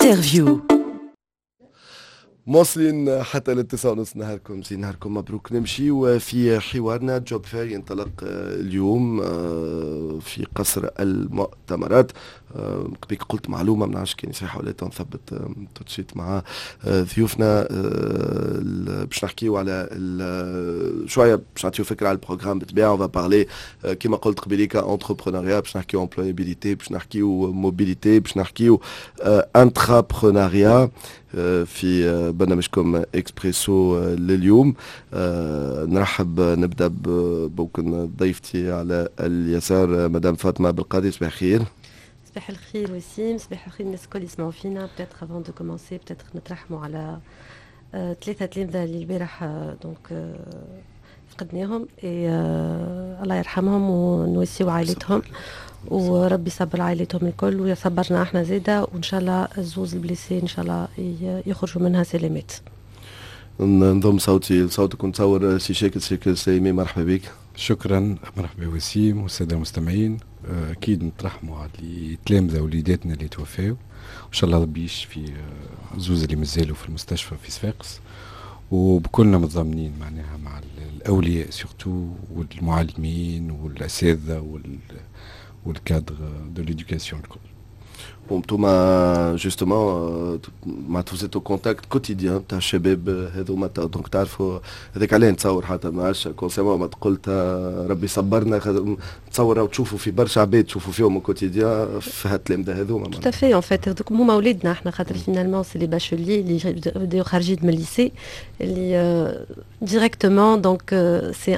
Interview. مواصلين حتى لل9:30. نهاركم زين، نهاركم مبروك. نمشي في حوارنا. job fair ينطلق اليوم في قصر المؤتمرات. قبيك قلت معلومة، ما نعرفش كان صحيحة ولا، نثبت tout de suite مع ضيوفنا. باش نحكيو على شوية، باش نعطيو فكرة على ال programme. بالطبيعة on va parler كيما قلت قبيليك entrepreneuriat، باش نحكيو employabilité، باش نحكيو mobilité، باش نحكيو intrapreneuriat في برنامجكم اكسبريسو لليوم. نرحب، نبدا ممكن ضيفتي على اليسار، مدام فاطمة بالقاضي، صباح الخير. صباح الخير وسيم، صباح الخير الناس الكل يسمعوا فينا. peut-être avant de commencer، peut-être نترحموا على ثلاثة تلامذة اللي البارح donc فقدناهم، الله يرحمهم ونواسيو عائلتهم وربي يصبر عائلتهم الكل ويصبرنا احنا زاده، وان شاء الله الزوز ال blessés ان شاء الله يخرجوا منها سلامات. نضم صوتي لصوتك ونتصور سي شاكر، شاكر سليمي، مرحبا بك. شكرا، مرحبا وسيم والسادة المستمعين. اكيد نترحموا على التلامذه وليداتنا اللي توفاو، وان شاء الله ربي يشفي زوز اللي مازالوا في المستشفى في صفاقس، وبكلنا متضامنين معناها مع الاولياء surtout والمعلمين والاساتذه وال cadres de l'éducation الكل. وانتم justement معناتها vous êtes au contact quotidien تاع الشباب هذوما، donc تعرفوا هذاك علاه نتصور حتى ما عادش consciemment ما قلت ربي صبرنا، نتصور وتشوفوا في برشا عباد تشوفوا فيهم quotidien في هالتلامذه هذوما. Tout à fait، en fait هذوك هما ولادنا احنا، خاطر finalement c'est les bacheliers اللي بداو خارجين من ال lycée اللي directement، donc c'est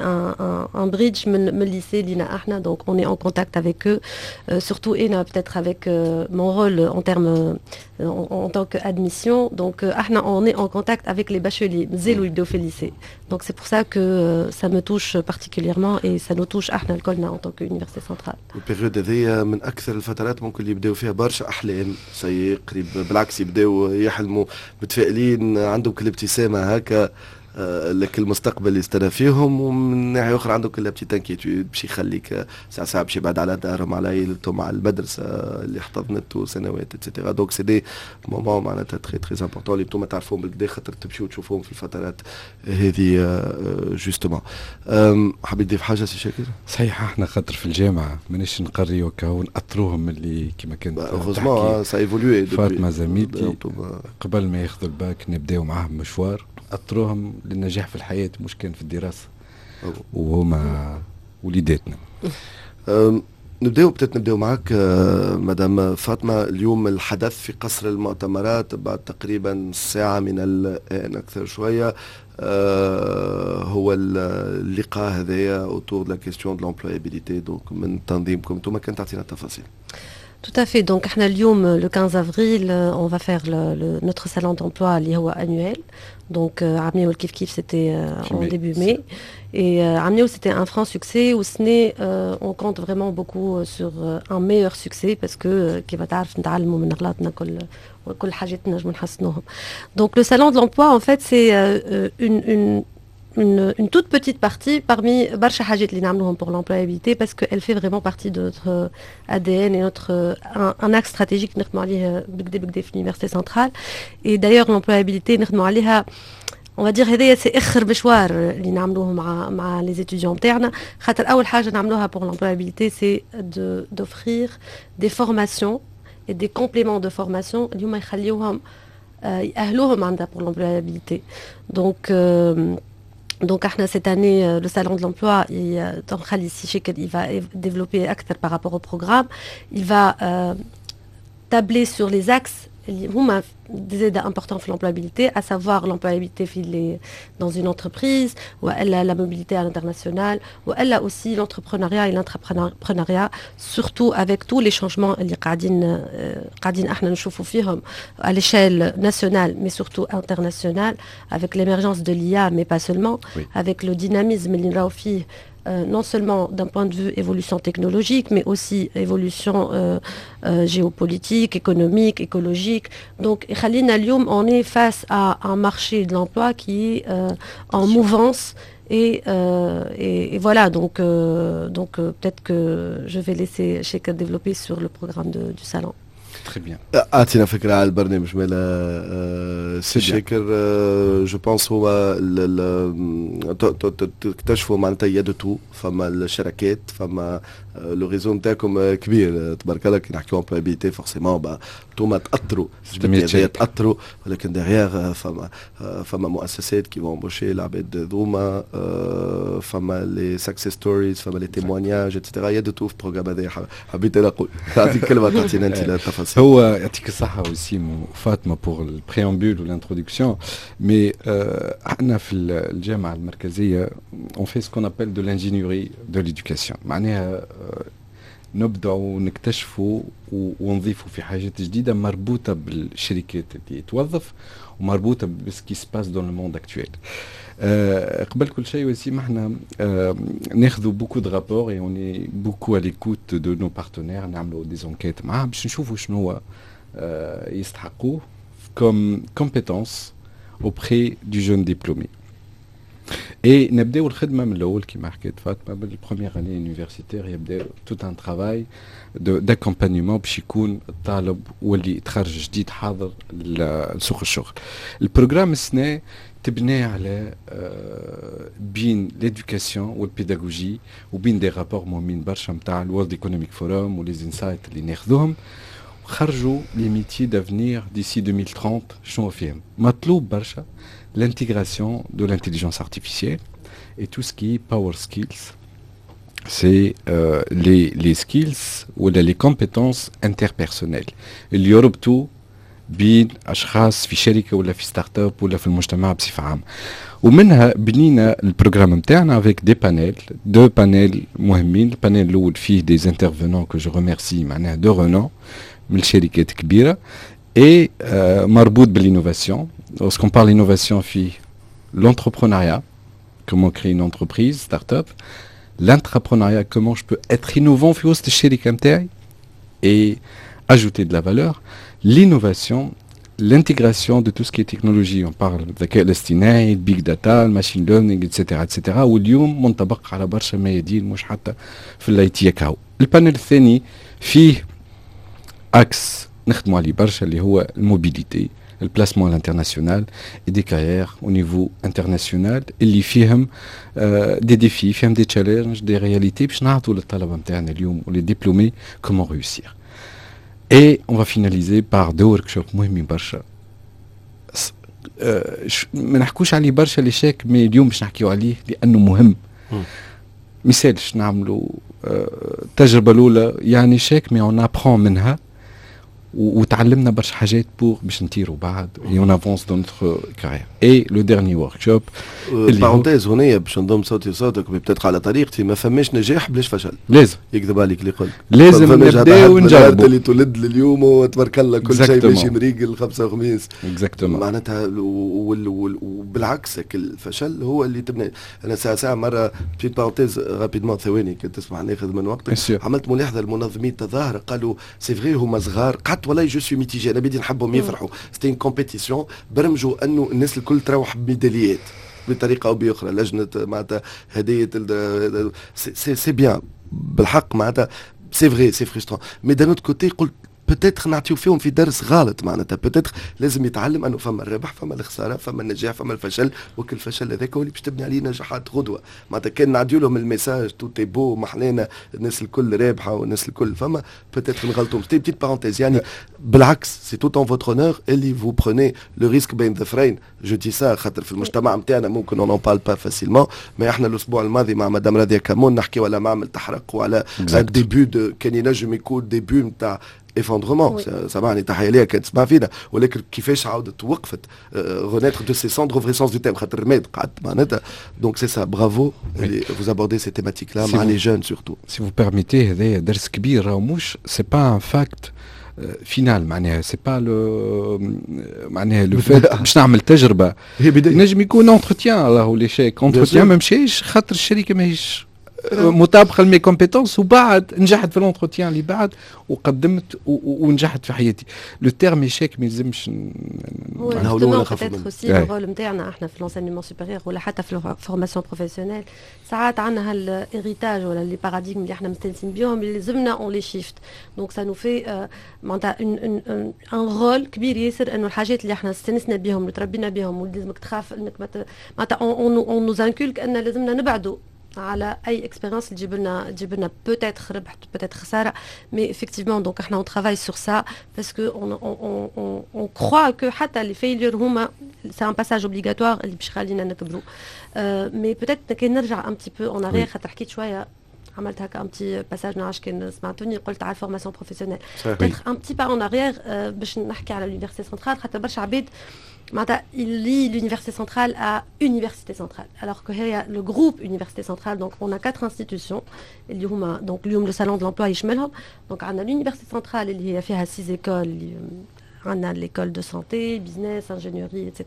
un bridge من ال lycée لينا احنا، donc on est en contact avec eux، surtout انا peut-être avec mon rôle en termes en tant qu'admission. Donc, احنا on est en contact avec les bacheliers مازالوا يبداو في lycée. Donc, c'est pour ça que ça me touche particulièrement et ça nous touche احنا الكلنا en tant qu'université centrale. ال période هذه من اكثر الفترات ممكن اللي يبداو فيها برشا احلام، c'est قريب بالعكس يبداو يحلموا متفائلين، عندهم كل ابتسامة هكا لك المستقبل يستنى فيهم، ومن ناحية اخرى عندك la petite inquiétude باش يخليك ساعة ساعة باش يبعد على دارهم، على عائلتهم، على المدرسة اللي احتضنته سنوات et cetera. donc c'est des moments معناتها très très importants اللي انتم تعرفوهم بالكدا خاطر تمشيو تشوفوهم في الفترات هذه justement. حبيت تضيف حاجة سي شاكر؟ صحيح، احنا خاطر في الجامعة ماناش نقريو ونأطروهم اللي كما كانت heureusement ça a évolué. فاطمة زميلتي، قبل ما ياخذوا الباك نبداو معاهم مشوار، أطروهم للنجاح في الحياة مش كان في الدراسة، وهما وليداتنا. نبداو peut-être نبداو معك مدام فاطمه. اليوم الحدث في قصر المؤتمرات بعد تقريبا ساعة من الان، اكثر شويه، هو اللقاء هذايا autour de la question de l'employabilité، donc من تنظيمكم انتم، كان تعطينا التفاصيل. Tout à fait. Donc, احنا اليوم le 15 avril, on va faire notre salon d'emploi اللي هو annuel. Donc, عام كيف كيف c'était en début mai. Et عام c'était un franc succès. والسنة on compte vraiment beaucoup sur un meilleur succès parce que كيما تعرف نتعلموا من غلطنا كل وكل حاجات نجموا نحسنوهم. Donc, le salon de l'emploi, en fait, c'est une toute petite partie parmi برشا حاجات اللي نعملوهم pour l'employabilité parce qu'elle fait vraiment partie de notre ADN et notre un axe stratégique نخدموا عليه بالقدا بالقدا في l'université centrale. Et d'ailleurs l'employabilité نخدموا عليها، on va dire هذايا c'est اخر مشوار اللي نعملوه مع les étudiants نتاعنا، خاطر اول حاجة نعملوها pour l'employabilité c'est de d'offrir des formations et des compléments de formation اللي هما يخليوهم يأهلوهم عندها pour l'employabilité. Donc احنا cette année le salon de l'emploi il va développer أكثر par rapport au programme، il va tabler sur les axes اللي هما des importants في l'employabilité, à savoir l'employabilité dans une entreprise, ou la mobilité à l'international, ou elle a aussi l'entrepreneuriat et l'intrapreneuriat, surtout avec tous les changements اللي قاعدين احنا نشوفوا فيهم à l'échelle nationale mais surtout internationale, avec l'émergence de l'IA mais pas seulement, avec le dynamisme اللي نراو فيه non seulement d'un point de vue évolution technologique, mais aussi évolution géopolitique, économique, écologique. Donc, خلينا اليوم on est face à un marché de l'emploi qui est en mouvance. Et voilà, donc peut-être que je vais laisser Chaker développer sur le programme du salon. Très bien. اعطينا فكرة على البرنامج مالا سي شاكر. je pense هو تكتشفوا معناتها il y a de tout، فما الشركات، فما le réseau نتاعكم كبير تبارك الله. كي نحكيو employabilité forcément انتوما تاثروا، تاثروا، ولكن derrière فما مؤسسات qui vont embaucher العباد ذوما، فما les success stories، فما les témoignages et cetera. il y a de tout في ال programme هذا. حبيت انا نقول نعطيك كلمه، تعطينا انت التفاصيل. هو يعطيك الصحة وسيم وفاطمة pour ال préambule وال introduction، mais احنا في الجامعة المركزية on fait ce qu'on appelle de l'ingénierie de l'éducation، معناها نبدعوا ونكتشفوا ونضيفوا في حاجات جديدة مربوطة بالشركات اللي توظف ومربوطه ب ce qui se passe dans le monde actuel. قبل كل شيء وسيم، احنا ناخذوا beaucoup de rapports et on est beaucoup à l'écoute de nos partenaires، نعملوا des enquêtes معاهم باش نشوفوا شنو هو يستحقوه comme compétences auprès du jeune diplômé. Et نبداو الخدمة من الاول كما حكيت فاطمه، بال première année universitaire يبدا tout un travail d'accompagnement باش يكون الطالب واللي تخرج جديد حاضر لسوق الشغل. ال programme السنة تبنى على بين l'éducation وال pédagogie وبين des rapports مهمين برشا نتاع ال World Economic Forum و les insights اللي ناخذوهم. خرجوا les métiers d'avenir d'ici 2030. شنو فيهم مطلوب برشا؟ l'intégration de l'intelligence artificielle et tout ce qui est power skills. C'est les skills ou les compétences interpersonnelles اللي يربطوا بين اشخاص في شركة ولا في start-up ولا في المجتمع بصفة عامه. ومنها بنينا ال programme نتاعنا avec des panels، deux panels مهمين. ال panel الاول فيه des intervenants que je remercie، معناها de renom من الشركات كبيرة et مربوط بال innovation. Lorsqu'on parle innovation فيه l'entrepreneuriat، comment créer une entreprise start-up، l'intrapreneuriat، comment je peux être innovant في وسط الشركة نتاعي et ajouter de la valeur، l'innovation، l'intégration de tout ce qui est technologie، on parle الذكاء الاصطناعي، ال big data، ال machine learning، etc etc. واليوم منطبق على برشا ميادين، مش حتى في ال IT كهو. ال panel الثاني فيه axe نخدموا عليه برشا اللي هو ال mobilité، ال placement à l'international et des carrières au niveau international اللي فيهم des défis، فيهم des challenges، des réalités، باش نعطوا للطلبة نتاعنا اليوم و les diplômés comment réussir. Et on va finaliser par deux workshops مهمين برشا. ما نحكوش عليه برشا l'échec، mais اليوم باش نحكيو عليه لانه مهم. مثالش نعملوا التجربة الاولى يعني échec، mais on apprend منها وتعلمنا برشا حاجات pour باش نطيروا بعد et on avance dans notre carrière. et le dernier workshop parenthèse هنا باش نضم صوتي وصوتك peut-être على طريقتي، ما فماش نجاح بلاش فشل. لازم. يكذب عليك اللي يقول لازم نبداو ونجربوا. اللي تولد لليوم وتبارك الله كل شيء ماشي مريقل خمسة وخميس. Exactement. معناتها وبالعكس الفشل هو اللي تبني. انا ساعة ساعة مره، petite parenthèse rapidement، ثواني كنت تسمح ناخذ من وقتك. عملت ملاحظة لمنظمي التظاهر، قالوا c'est vrai هما صغار. قعدت والله je suis mitigé، انا بدي نحبهم يفرحوا. c'était une compétition، برمجوا انه الناس الكل تروح بميداليات بطريقة او باخرى، لجنة معناتها هديه، c'est bien بالحق، معناتها c'est vrai c'est frustrant، mais d'un autre côté قلت peut-être نعطيو فيهم في درس غلط. معناتها peut-être لازم يتعلم انه فما الربح، فما الخساره، فما النجاح، فما الفشل، وكل الفشل هذاك هو اللي باش تبني عليه نجاحات غدوه. معناتها كان نعديو لهم ال message tout est beau، محلانا، الناس الكل رابحه والناس الكل فما، peut-être نغلطوا. petite parenthèse يعني. بالعكس c'est tout en votre honneur اللي vous prenez le risque بين ظفرين. je dis ça خاطر في المجتمع نتاعنا ممكن on en parle pas facilement، mais احنا الاسبوع الماضي مع مدام راضية كمون نحكيو على معمل تحرق وعلى début de كان ينجم يكون début نتاع effondrement. سامحني، تحية ليها كانت تسمع فينا، ولكن كيفاش عاودت وقفت، renaître de ses cendres au vrai sens du terme، خاطر رماد قعدت معناتها. donc c'est ça، bravo vous abordez ces thématiques-là مع les jeunes surtout. si vous permettez، هذايا درس كبير راهو، مش c'est pas un fact final، معناها c'est pas le معناها le fait باش نعمل تجربه. هي بدايه. نجم يكون entretien راهو l'échec، entretien ما مشاش خاطر الشركة ماهيش مطابقه ل mes compétences. وبعد نجحت في l'entretien اللي بعد وقدمت ونجحت في حياتي. le terme échec ما يلزمش. نهولوا peut-être aussi le rôle نتاعنا احنا في l'enseignement supérieur ولا حتى في ال formation professionnelle، ساعات عندنا هال héritage ولا les paradigmes اللي احنا مستانسين بيهم اللي لازمنا on les shift. donc ça nous fait معناتها un rôle كبير ياسر، انه الحاجات اللي احنا استانسنا بهم وتربينا بهم ولازمك تخاف انك معناتها on nous inculque ان لازمنا نبعدوا على اي expérience تجيب لنا peut-être ربح، peut-être خساره. mais effectivement، donc احنا on travaille sur ça parce que on croit que حتى les failures هما c'est un passage obligatoire اللي باش يخلينا نكبروا. mais peut-être كان نرجع un petit peu en arrière، خاطر حكيت شويه، عملت هكا un petit passage، ما نعرفش كان سمعتوني، قلت على ال formation professionnelle. peut-être un petit pas en arrière باش نحكي على l'université centrale، خاطر برشا عباد معناتها ils lient l'université centrale à université centrale، alors que هي le groupe université centrale. donc on a quatre institutions اللي هما، donc اليوم le salon de l'emploi يشملهم. donc عندنا l'université centrale اللي هي فيها six écoles، on a l'école de santé، business، ingénierie، etc.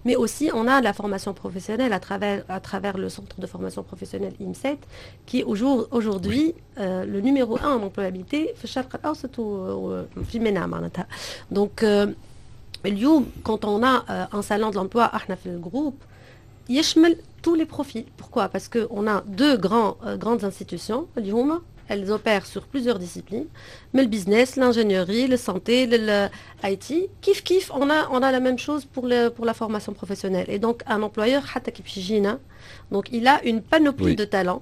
Mais aussi, on a la formation professionnelle à travers le centre de formation professionnelle IMSET، qui est aujourd'hui le numéro un en employabilité في الشرق الأوسط وفي MENA معناتها. Donc, اليوم quand on a un salon de l'emploi، احنا في ال groupe يشمل tous les profils. Pourquoi؟ Parce qu'on a deux grandes institutions اللي هما elles opèrent sur plusieurs disciplines، mais le business، l'ingénierie، la santé، l'IT. كيف كيف، on a la même chose pour la formation professionnelle. Et donc, un employeur، حتى كي باش يجينا، donc il a une panoplie de talents.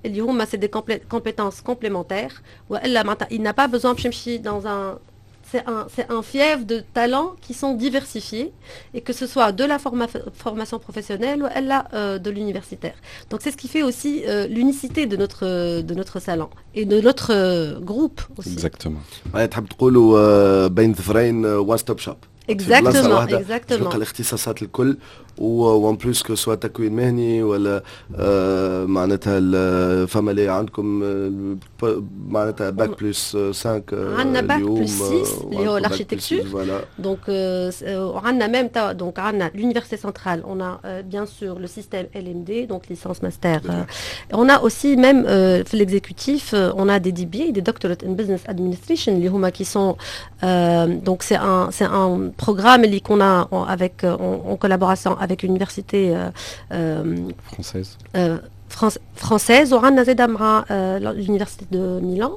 اللي هما c'est des compétences complémentaires. والا معناتها il n'a pas besoin باش يمشي dans un c'est un fief de talents qui sont diversifiés، et que ce soit de la formation professionnelle ولا de l'universitaire. Donc c'est ce qui fait aussi l'unicité de notre salon et de notre groupe aussi. Exactement. تحب تقولوا بين ظفرين one stop shop. Exactement. تلقى الاختصاصات الكل، و en plus que ce soit تكوين مهني ولا معناتها فما اللي عندكم معناتها bac plus 5. عندنا bac plus 6 اللي هو l'architecture. donc عندنا même donc عندنا l'université centrale، on a bien sûr le système LMD، donc licence master. on a aussi même في l'exécutif، on a des DBA، des doctorate in business administration، اللي هما qui sont donc c'est un programme اللي qu'on a avec en collaboration avec l'université française. Française وعندنا زاده مع l'université de Milan.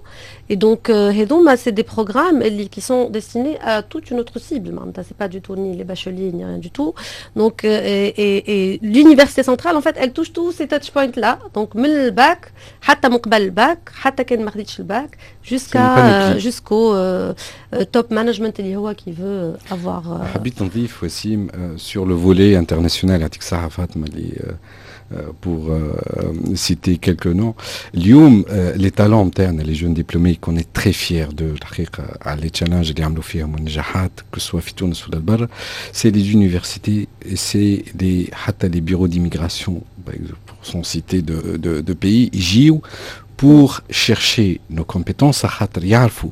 et donc هذوما c'est des programmes اللي qui sont destinés à toute une autre cible، معناتها c'est pas du tout ni les bacheliers ni rien du tout. donc et l'université centrale، en fait، elle touche tous ces touch points là، donc من الباك، حتى من قبل الباك، حتى كان ما خديتش ال bac، jusqu'au top management اللي هو qui veut avoir. حبيت نضيف وسيم sur le volet international، يعطيك الصحة فاطمة اللي pour citer quelques noms. اليوم les talents نتاعنا، les jeunes diplômés qu'on est très fiers de الحقيقة على les challenges اللي عملوا فيهم والنجاحات، que ce soit في تونس ولا البر، c'est les universités et c'est des حتى les bureaux d'immigration، pour sans citer de pays، يجيو pour chercher nos compétences، خاطر يعرفوا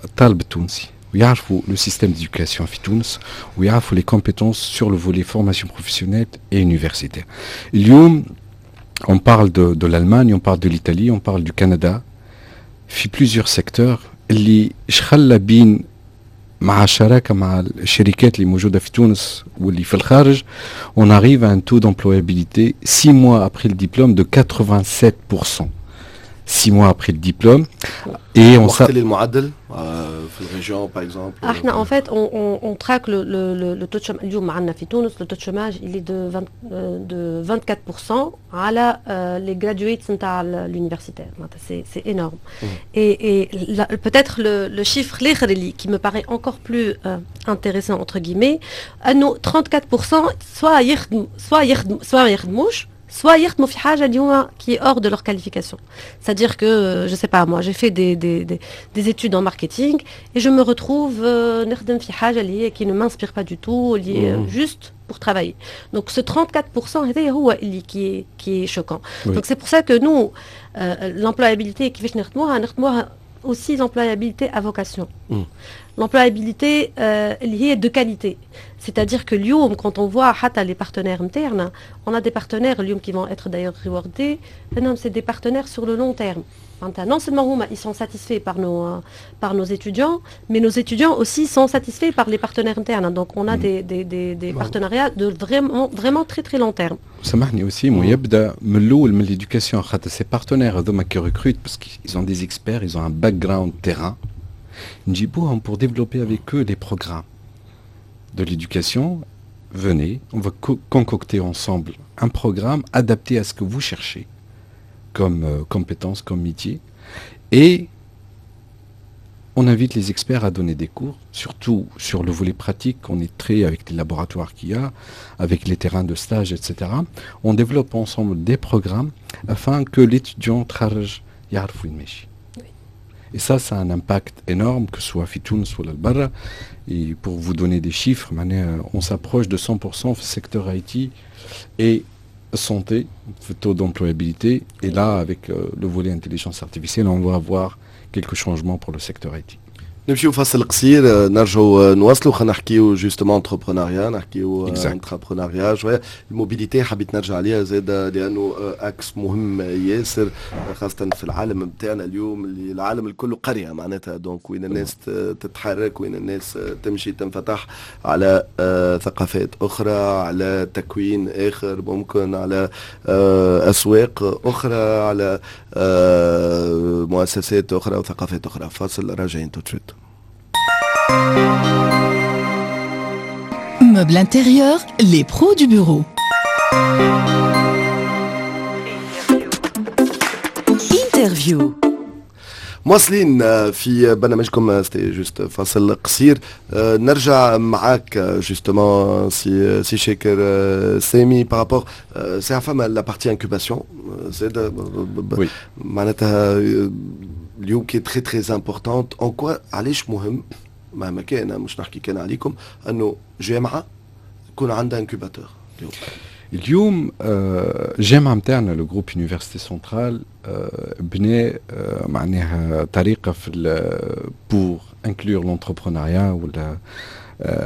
الطالب التونسي ويعرفوا le système d'éducation في تونس ويعرفوا les compétences sur le volet formation professionnelle et universitaire. اليوم on parle de l'Allemagne، on parle de l'Italie، on parle du Canada في plusieurs secteurs، اللي خلى بين مع شراكة مع الشركات اللي موجودة في تونس واللي في الخارج، on arrive à un taux d'employabilité 6 mois après le diplôme de 87%. 6 mois après le diplôme. Et on وقت المعدل في ال région par exemple؟ احنا en fait on traque le taux de chômage. اليوم عندنا في تونس le taux de chômage il est de 20 de 24% على les graduates نتاع l'universitaire، معناتها c'est énorme. et peut-être le chiffre الاخر اللي qui me paraît encore plus intéressant entre guillemets، انه 34% soit يخدم soit ما يخدموش، soit يخدموا في حاجة اليوم qui est hors de leur qualification. C'est-à-dire que je sais pas moi، j'ai fait des études en marketing et je me retrouve نخدم في حاجة اللي هي qui ne m'inspire pas du tout، اللي juste pour travailler. Donc ce 34% هذا هو اللي qui est choquant. Donc c'est pour ça que nous l'employabilité كيفاش نخدموها؟ نخدموها aussi l'employabilité à vocation. L'employabilité اللي هي de qualité. C'est-à-dire que اليوم quand on voit حتى les partenaires نتاعنا, on a des partenaires اليوم qui vont être d'ailleurs rewardés, c'est des partenaires sur le long terme. Non seulement هما ils sont satisfaits par nos étudiants, mais nos étudiants aussi sont satisfaits par les partenaires internes. Donc on a des partenariats de vraiment, vraiment très très long terme. سامحني وسيم, ويبدا من الاول من l'éducation, خاطر ces partenaires هذوما qui recrutent parce qu'ils ont des experts, ils ont un background terrain, نجيبوهم pour développer avec eux les programmes de l'éducation. Venez, on va concocter ensemble un programme adapté à ce que vous cherchez comme compétences, comme métier. Et on invite les experts à donner des cours, surtout sur le volet pratique. On est très avec les laboratoires qu'il y a, avec les terrains de stage, etc. On développe ensemble des programmes afin que l'étudiant تخرج يعرف وين ماشي. Et ça a un impact énorme, que ce soit في تونس ولا البرا. Et pour vous donner des chiffres, معناها on s'approche de 100% في secteur IT et santé, taux d'employabilité. Et là, avec le volet intelligence artificielle, on va avoir quelques changements pour le secteur IT. نمشيو فاصل قصير, نرجعوا نواصلوا, خلينا نحكيو justement entrepreneuriat, نحكيو intrapreneuriat شويه, ال mobilité حبيت نرجع عليها زاد لانه axe مهم ياسر, خاصة في العالم نتاعنا اليوم اللي العالم الكل قرية معناتها, donc وين الناس تتحرك, وين الناس تمشي, تنفتح على ثقافات اخرى, على تكوين اخر ممكن, على اسواق اخرى, على مؤسسات اخرى وثقافات اخرى. فاصل, راجعين tout de suite. Meubles intérieur, les pros du bureau. Interview. مواصلين في برنامجكم, c'était juste فاصل قصير. نرجع معاك justement سي شاكر سامي par rapport ساعة فما la partie incubation زاد معناتها اليوم qui est très très importante. En quoi, علاش مهم مهما كان, مش نحكي كان عليكم, انه جامعه يكون عندها incubateur؟ اليوم الجامعة نتاعنا, le groupe Université Centrale, بنى معناها طريقه في pour inclure l'entrepreneuriat ولا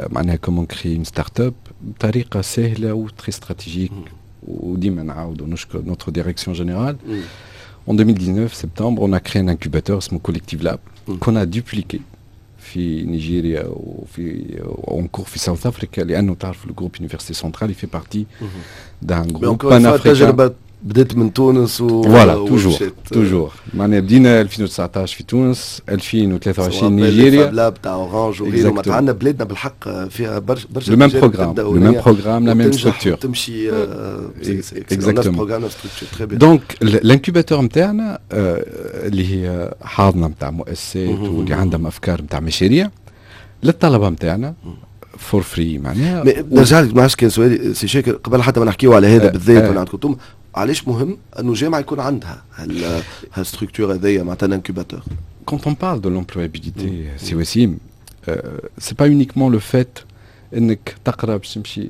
معناها comment créer une start-up بطريقة سهلة و très stratégique. وديما نعاود ونشكر notre direction générale. En 2019, septembre, on a créé un incubateur اسمه Collective Lab qu'on a dupliqué في نيجيريا وفي encore في South Africa, لانه تعرف ال groupe Université Centrale il fait partie d'un groupe panafricain. التجربة بدات من تونس و voilà, toujours toujours, معناها بدينا 2019 في تونس, 2023 نيجيريا. Lab تاع Orange وغيره, معناتها عندنا بلادنا بالحق فيها برشا برشا le même programme, le même programme, la même structure. تمشي. exactement. donc l'incubateur نتاعنا اللي هي حاضنة نتاع مؤسسات واللي عندهم افكار نتاع مشاريع للطلبة نتاعنا for free معناها. نرجع لك, ما عادش كان سؤالي سي شاكر قبل حتى ما نحكيو على هذا بالذات ولا عندكم, علاش مهم انه جامعه يكون عندها هال structure هذيا معناتها incubateur؟ Quand on parle de l'employabilité, سي وسيم, c'est pas uniquement le fait انك تقرا باش تمشي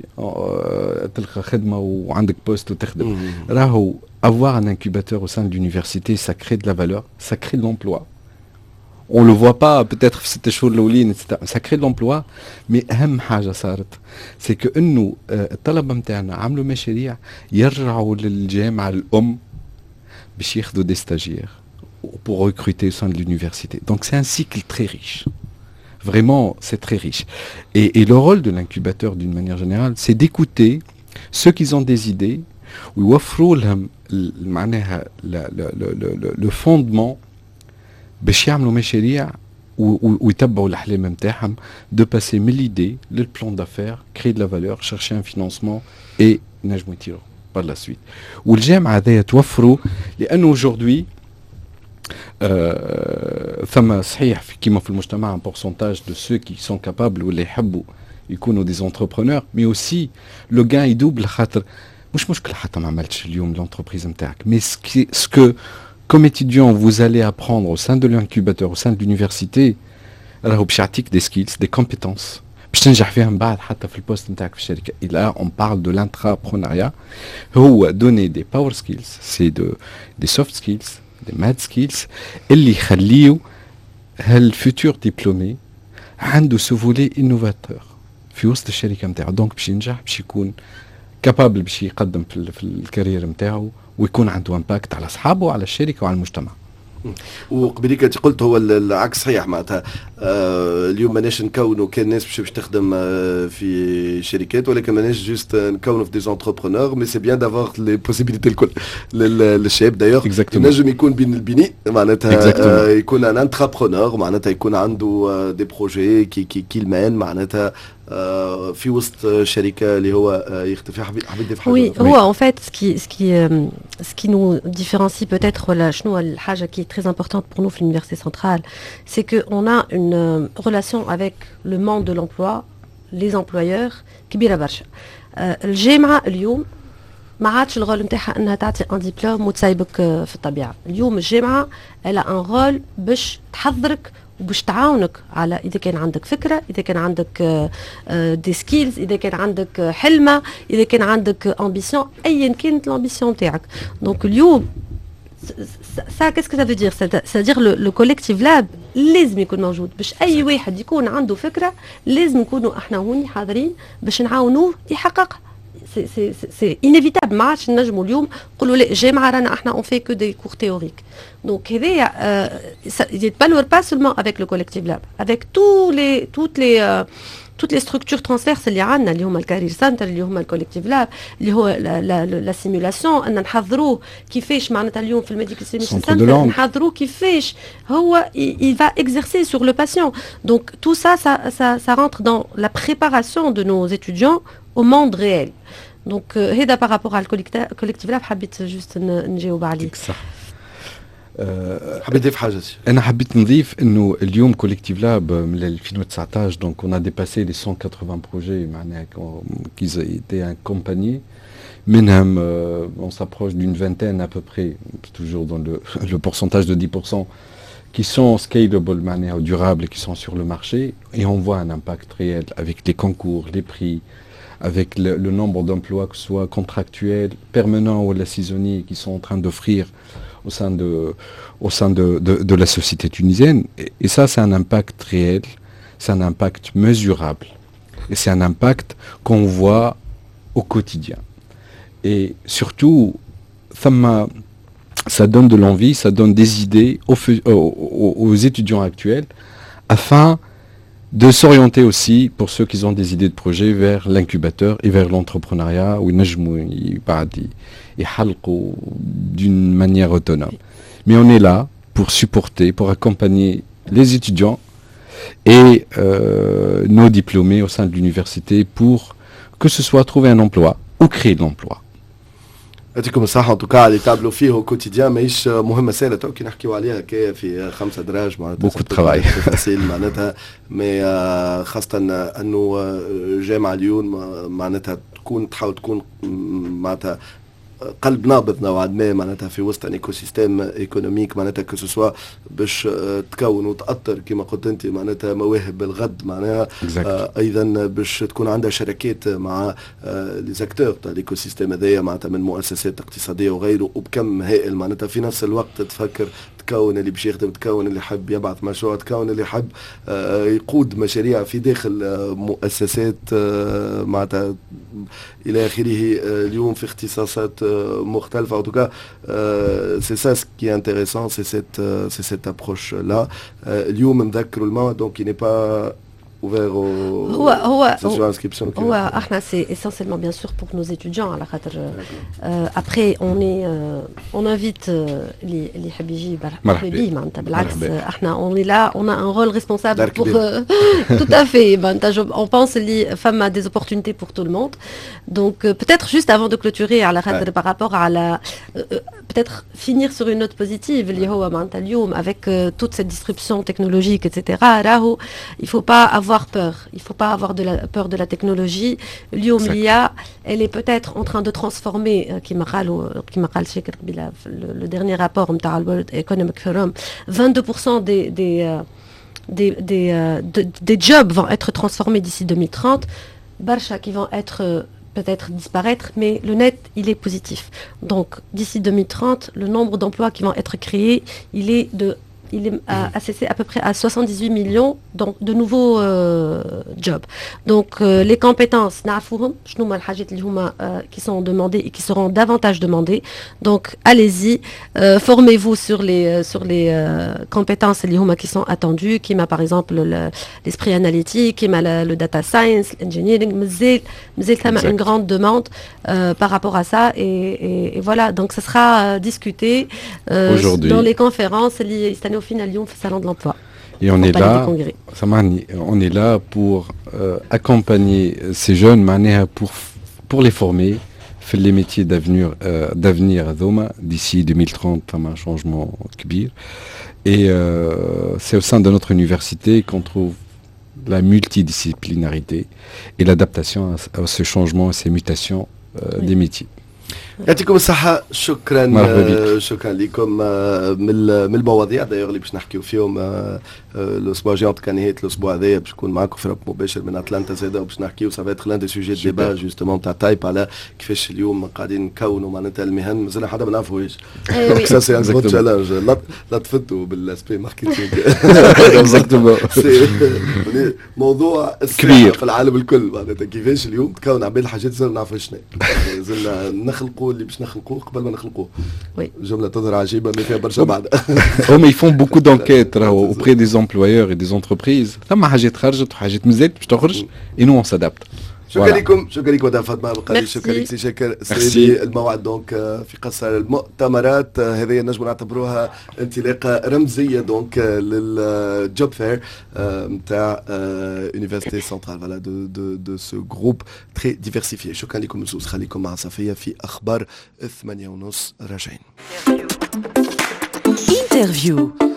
تلقى خدمة وعندك poste وتخدم. راهو avoir un incubateur au sein de l'université, ça crée de la valeur, ça crée de l'emploi. On le voit pas peut-être في 6 شهور الاولين, ça crée de l'emploi, mais اهم حاجة صارت c'est que انه الطلبة نتاعنا عملوا مشاريع يرجعوا للجامعة الام باش ياخذوا des stagiaires pour recruter au sein de l'université. Donc c'est un cycle très riche. Vraiment, c'est très riche. Et le rôle de l'incubateur, d'une manière générale, c'est d'écouter ceux qui ont des idées, ويوفروا لهم معناها le fondement باش يعملوا مشاريع ويتبعوا الاحلام نتاعهم, de passer من l'idée لل plan d'affaires, créer de la valeur, chercher un financement et نجموا يطيروا par la suite. والجامعة هذايا توفروا لانه aujourd'hui ثم صحيح كيما في المجتمع un pourcentage de ceux qui sont capables واللي يحبوا يكونوا des entrepreneurs, mais aussi le gain est double, خاطر مش مشكلة حتى ما عملتش اليوم l'entreprise نتاعك, mais ce que comme étudiant vous allez apprendre au sein de l'incubateur, au sein de l'université, راهو باش يعطيك des skills, des compétences باش تنجح فيها من بعد حتى في ال poste نتاعك في الشركه. Et là on parle de l'intrapreneuriat, هو donner des power skills, c'est des soft skills, des mad skills اللي يخليو هال futur diplômé عنده ce volet innovateur في وسط الشركة نتاعو، donc باش ينجح، باش يكون capable باش يقدم في ال carrière نتاعو ويكون عنده impact على اصحابه وعلى الشركة وعلى المجتمع. وقبليك انت قلت هو العكس صحيح، معناتها اليوم ماناش نكونوا كان ناس باش تخدم في شركات، ولكن ماناش juste نكونوا في des entrepreneurs، mais c'est bien d'avoir les possibilités الكل للشاب. d'ailleurs ينجم يكون بين البنين، معناتها يكون un intrapreneur، معناتها يكون عنده des projets qu'il mène معناتها في وسط شركة اللي هو يخدم فيها. حبيت تضيف حاجه؟ Oui، هو en fait ce qui nous différencie peut-être، ولا شنو الحاجة qui est très importante pour nous في l'université centrale، c'est que on a une relation avec le monde de l'emploi، les employeurs، كبيرة برشا. الجامعة اليوم ما عادش ال rôle نتاعها انها تعطي un diplôme وتسيبك في الطبيعه. اليوم الجامعة elle a un rôle باش تحضرك وباش تعاونك على اذا كان عندك فكره، اذا كان عندك des skills، اذا كان عندك حلمه، اذا كان عندك ambition، ايا كانت l'ambition تاعك. donc اليوم ça، qu'est-ce que ça veut dire؟ c'est-à-dire le collectif lab لازم يكون موجود باش اي واحد يكون عنده فكرة لازم نكونوا احنا هوني حاضرين باش نعاونوه يحققها. c'est inévitable. ما عادش نجموا اليوم نقولوا لا، الجامعة رانا احنا on fait que des cours théoriques. donc هذايا يتبلور pas seulement avec le collectif lab، avec tous les toutes les toutes les structures transverses اللي عندنا، اللي هما ال career center، اللي هما ال collectif lab، اللي هو la simulation، ان نحضروه كيفاش معناتها اليوم في ال medical simulation center نحضروه كيفاش هو il va exercer sur le patient. donc tout ça ça ça rentre dans la préparation de nos étudiants au monde réel. donc هذا par rapport على ال collectif lab، حبيت juste نجاوب عليه. صح. حبيت تضيف حاجه؟ انا حبيت نضيف انه اليوم collectif lab من 2019، donc on a dépassé les 180 projets معناها qui étaient accompagnés، منهم on s'approche d'une vingtaine à peu près، toujours dans le pourcentage de 10%، qui sont scalable معناها durables، qui sont sur le marché، et on voit un impact réel avec les concours، les prix، avec le nombre d'emplois، que ce soit contractuels، permanents ou la saisonniers، qui sont en train d'offrir au sein de la société tunisienne. Et ça, c'est un impact réel، c'est un impact mesurable. Et c'est un impact qu'on voit au quotidien. Et surtout، ça donne de l'envie، ça donne des idées aux étudiants actuels afin de s'orienter aussi، pour ceux qui ont des idées de projet، vers l'incubateur et vers l'entrepreneuriat وينجموا بعد يحلقوا d'une manière autonome. Mais on est là pour supporter، pour accompagner les étudiants et nos diplômés au sein de l'université pour que ce soit trouver un emploi ou créer de l'emploi. يعطيكم الصحة en tout cas اللي تعملوا فيه au quotidien، ماهيش مهمة سهلة، تو كي نحكيو عليها كي في 5 دراج معناتها beaucoup de travail. facile معناتها، mais خاصة انه جامعة اليوم معناتها تكون تحاول تكون معناتها قلب نابض نوعا ما معناتها في وسط un écosystème économique، معناتها que ce soit باش تكون وتأطر كما قلت انت معناتها مواهب الغد معناها ايضا باش تكون عندها شراكات مع les acteurs تاع l'écosystème هذايا، معناتها من مؤسسات اقتصادية وغيره، وبكم هائل معناتها. في نفس الوقت تفكر تكون اللي باش يخدم، تكون اللي يحب يبعث مشروع، تكون اللي يحب يقود مشاريع في داخل مؤسسات معناتها الى اخره، اليوم في اختصاصات مختلفة. en tout cas، c'est ça ce qui est intéressant، c'est cette approche là. اليوم نذكروا الموعد، donc il n'est pas ouvert au هو هو هو احنا c'est essentiellement bien sûr pour nos étudiants، على خاطر après on invite اللي يحب يجي مرحبا بيه. معناتها بالعكس، احنا on est là، on a un rôle responsable pour tout à fait. معناتها on pense اللي فما des opportunités pour tout le monde. donc peut-être juste avant de clôturer، على خاطر par rapport à la peut-être finir sur une note positive، اللي هو معناتها اليوم avec toute cette disruption technologique etc، راهو il faut pas avoir peur، il faut pas avoir de la peur de la technologie. اليوم l'IA، elle est peut-être en train de transformer، كما قال شاكر قبيلة، le dernier rapport نتاع World Economic Forum، 22% des jobs vont être transformés d'ici 2030. برشا qui vont être peut-être disparaître، mais le net، il est positif. Donc، d'ici 2030، le nombre d'emplois qui vont être créés، il est de il est assessé à peu près à 78 millions donc, de nouveaux jobs. Donc les compétences نعرفوهم شنو هما الحاجات اللي هما qui sont demandées et qui seront davantage demandées. Donc allez-y, formez-vous sur les compétences اللي هما qui sont attendues, كيما par exemple l'esprit analytique, كيما le data science, l'engineering. مازال مازال ثم une grande demande par rapport à ça et voilà, donc ça sera discuté dans les conférences اللي يستناو فينا اليوم في salon de l'emploi. Et on est là, on est là pour accompagner ces jeunes معناها pour les former في les métiers d'avenir هذوما d'ici 2030. فما un changement كبير et c'est au sein de notre université qu'on trouve la multidisciplinarité et l'adaptation à ce changement, à ces mutations des métiers. يعطيكم الصحة، شكرا. مرحبا بك. شكرا لكم. من المواضيع d'ailleurs اللي باش نحكيو فيهم الاسبوع الجاي، كان نهاية الاسبوع هذايا، باش نكون معاكم في مباشر من اتلانتا زاده وباش نحكيو، ça va être l'un des sujets de débat justement تاع تايب، على كيفاش اليوم قاعدين نكونوا معناتها المهن مازلنا حتى ما نعرفوهاش. donc ça c'est un grand challenge. لا تفدوا بال aspect marketing. موضوع كبير. في العالم الكل، معناتها كيفاش اليوم تكون عباد الحاجات ما نعرفوش شنو، زلنا نخلقوا اللي باش نخلقوه قبل ما نخلقوه. جملة تظهر عجيبة mais فيها برشا بعد. هما ils font beaucoup d'enquêtes راهو auprès des employeurs et des entreprises. ثم حاجات خرجت وحاجات مازالت باش تخرج et nous on s'adapte. شكرا لكم، شكرا لكم مدام فاطمة بقالي، شكرا لك سي شاكر سيدي. الموعد donc في قصر المؤتمرات، هذه نجم نعتبروها انطلاقة رمزية donc لل job fair نتاع Université Centrale، voilà، de ce groupe très diversifié. شكرا لكم زوز، خليكم مع صفيه في اخبار 8:30 راجعين. Interview.